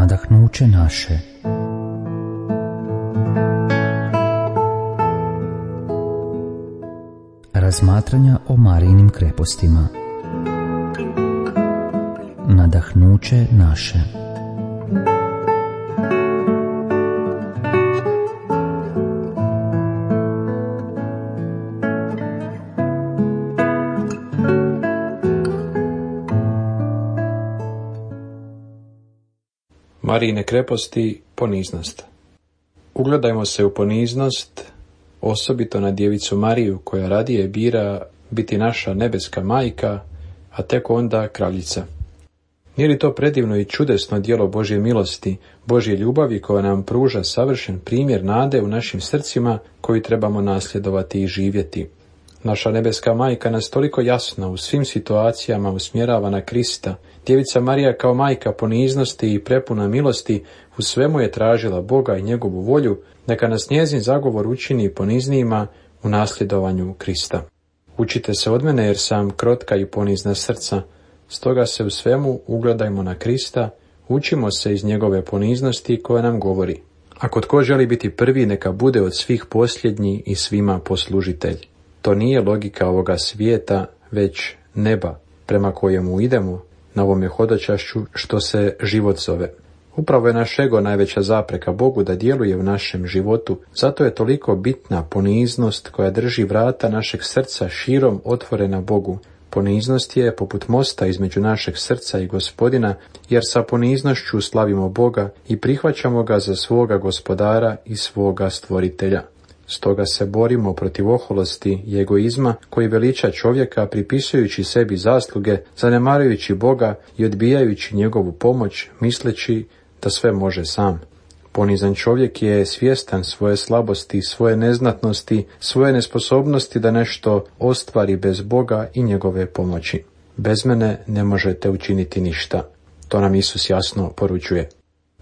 nadahnuće naše. Razmatranja o Marijinim krepostima. Nadahnuće naše. Marijine kreposti, poniznost. Ugledajmo se u poniznost, osobito na djevicu Mariju, koja radije bira biti naša nebeska majka, a tek onda kraljica. Nije li to predivno i čudesno djelo Božje milosti, Božje ljubavi koja nam pruža savršen primjer nade u našim srcima koji trebamo nasljedovati i živjeti? Naša nebeska majka nas toliko jasno u svim situacijama usmjerava na Krista. Djevica Marija kao majka poniznosti i prepuna milosti u svemu je tražila Boga i njegovu volju, neka nas njezin zagovor učini poniznijima u nasljedovanju Krista. Učite se od mene jer sam krotka i ponizna srca, stoga se u svemu ugledajmo na Krista, učimo se iz njegove poniznosti koja nam govori: ako tko želi biti prvi, neka bude od svih posljednji i svima poslužitelj. To nije logika ovoga svijeta, već neba prema kojemu idemo na ovome hodočašću što se život zove. Upravo je naš ego najveća zapreka Bogu da djeluje u našem životu, zato je toliko bitna poniznost koja drži vrata našeg srca širom otvorena Bogu. Poniznost je poput mosta između našeg srca i Gospodina, jer sa poniznošću slavimo Boga i prihvaćamo ga za svoga Gospodara i svoga Stvoritelja. Stoga se borimo protiv oholosti i egoizma koji veliča čovjeka pripisujući sebi zasluge, zanemarujući Boga i odbijajući njegovu pomoć, misleći da sve može sam. Ponizan čovjek je svjestan svoje slabosti, svoje neznatnosti, svoje nesposobnosti da nešto ostvari bez Boga i njegove pomoći. Bez mene ne možete učiniti ništa. To nam Isus jasno poručuje.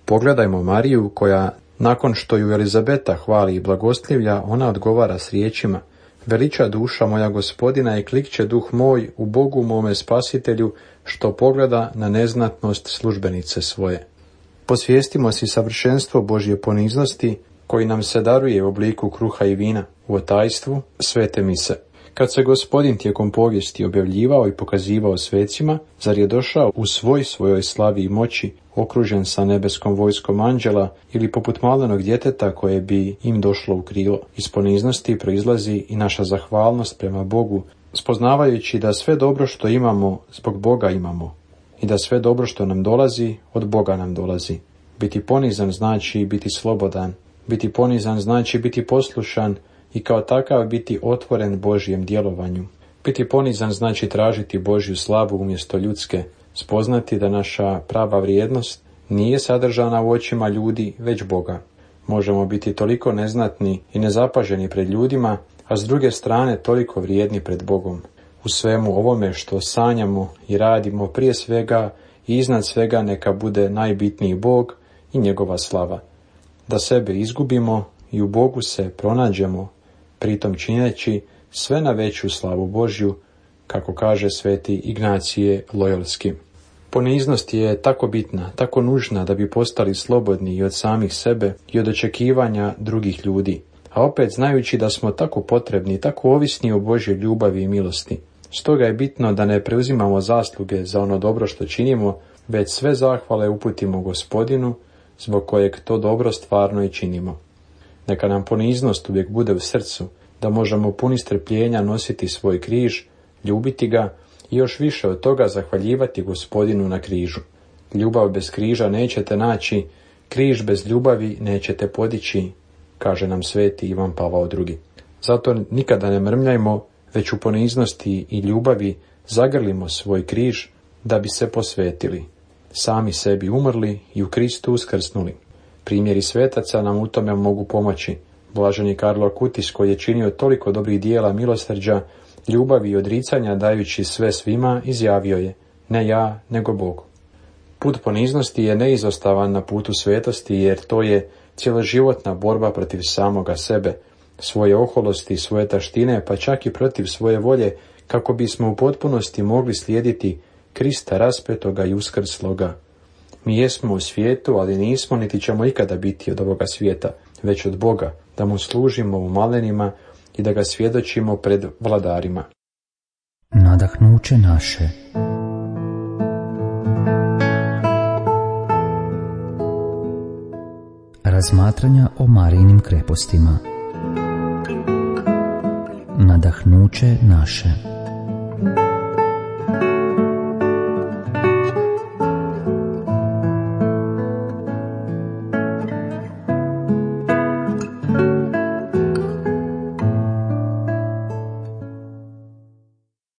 Pogledajmo Mariju koja, nakon što ju Elizabeta hvali i blagoslivlja, ona odgovara s riječima: veliča duša moja Gospodina i klikće duh moj u Bogu mome Spasitelju, što pogleda na neznatnost službenice svoje. Posvijestimo si savršenstvo Božje poniznosti koji nam se daruje u obliku kruha i vina, u otajstvu svete mise. Kad se Gospodin tijekom povijesti objavljivao i pokazivao svecima, zar je došao u svojoj slavi i moći, okružen sa nebeskom vojskom anđela, ili poput malenog djeteta koje bi im došlo u krilo? Iz poniznosti proizlazi i naša zahvalnost prema Bogu, spoznavajući da sve dobro što imamo zbog Boga imamo i da sve dobro što nam dolazi od Boga nam dolazi. Biti ponizan znači biti slobodan, biti ponizan znači biti poslušan i kao takav biti otvoren Božjem djelovanju. Biti ponizan znači tražiti Božju slavu umjesto ljudske, spoznati da naša prava vrijednost nije sadržana u očima ljudi, već Boga. Možemo biti toliko neznatni i nezapaženi pred ljudima, a s druge strane toliko vrijedni pred Bogom. U svemu ovome što sanjamo i radimo, prije svega i iznad svega neka bude najbitniji Bog i njegova slava. Da sebe izgubimo i u Bogu se pronađemo, pritom čineći sve na veću slavu Božju, kako kaže sveti Ignacije Lojolski. Poniznost je tako bitna, tako nužna da bi postali slobodni i od samih sebe i od očekivanja drugih ljudi, a opet znajući da smo tako potrebni, tako ovisni o Božjoj ljubavi i milosti. Stoga je bitno da ne preuzimamo zasluge za ono dobro što činimo, već sve zahvale uputimo Gospodinu, zbog kojeg to dobro stvarno i činimo. Neka nam poniznost uvijek bude u srcu, da možemo puni strpljenja nositi svoj križ, ljubiti ga i još više od toga zahvaljivati Gospodinu na križu. Ljubav bez križa nećete naći, križ bez ljubavi nećete podići, kaže nam sveti Ivan Pavao II. Zato nikada ne mrmljajmo, već u poniznosti i ljubavi zagrlimo svoj križ da bi se posvetili, sami sebi umrli i u Kristu uskrsnuli. Primjeri svetaca nam u tome mogu pomoći. Blaženi Karlo Kutis, koji je činio toliko dobrih dijela milosrđa, ljubavi i odricanja dajući sve svima, izjavio je: ne ja, nego Bog. Put poniznosti je neizostavan na putu svetosti, jer to je cjeloživotna borba protiv samoga sebe, svoje oholosti, svoje taštine, pa čak i protiv svoje volje, kako bismo u potpunosti mogli slijediti Krista raspetoga i uskrsloga. Mi jesmo u svijetu, ali nismo niti ćemo ikada biti od ovoga svijeta, već od Boga, da mu služimo u malenima i da ga svjedočimo pred vladarima. Nadahnuće naše. Razmatranja o Marijinim krepostima. Nadahnuće naše.